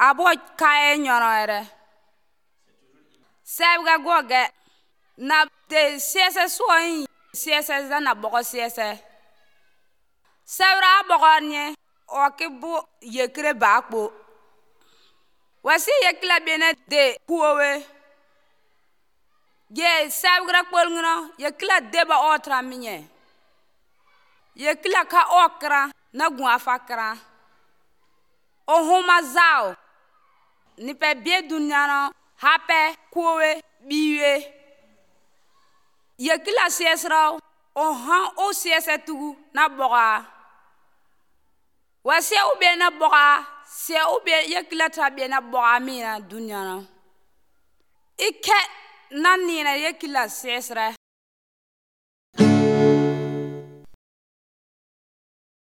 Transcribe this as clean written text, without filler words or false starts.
abo kae nyorore sebga goge na de siese soin siese za na bogo siese sebra bogornye okibu yekre bakpo wasi yekla bene de kuwe ye sebgra kpolngno yekla deba otra minye yekla ka okra na gwa fakra ohuma zao ni pe bie dunyano hape kuwe biwe yekla siesra ohan o siese tugu na boga wasi ube na boga se ube yekla tabe na boga mina dunyano ike na nina yekla siesra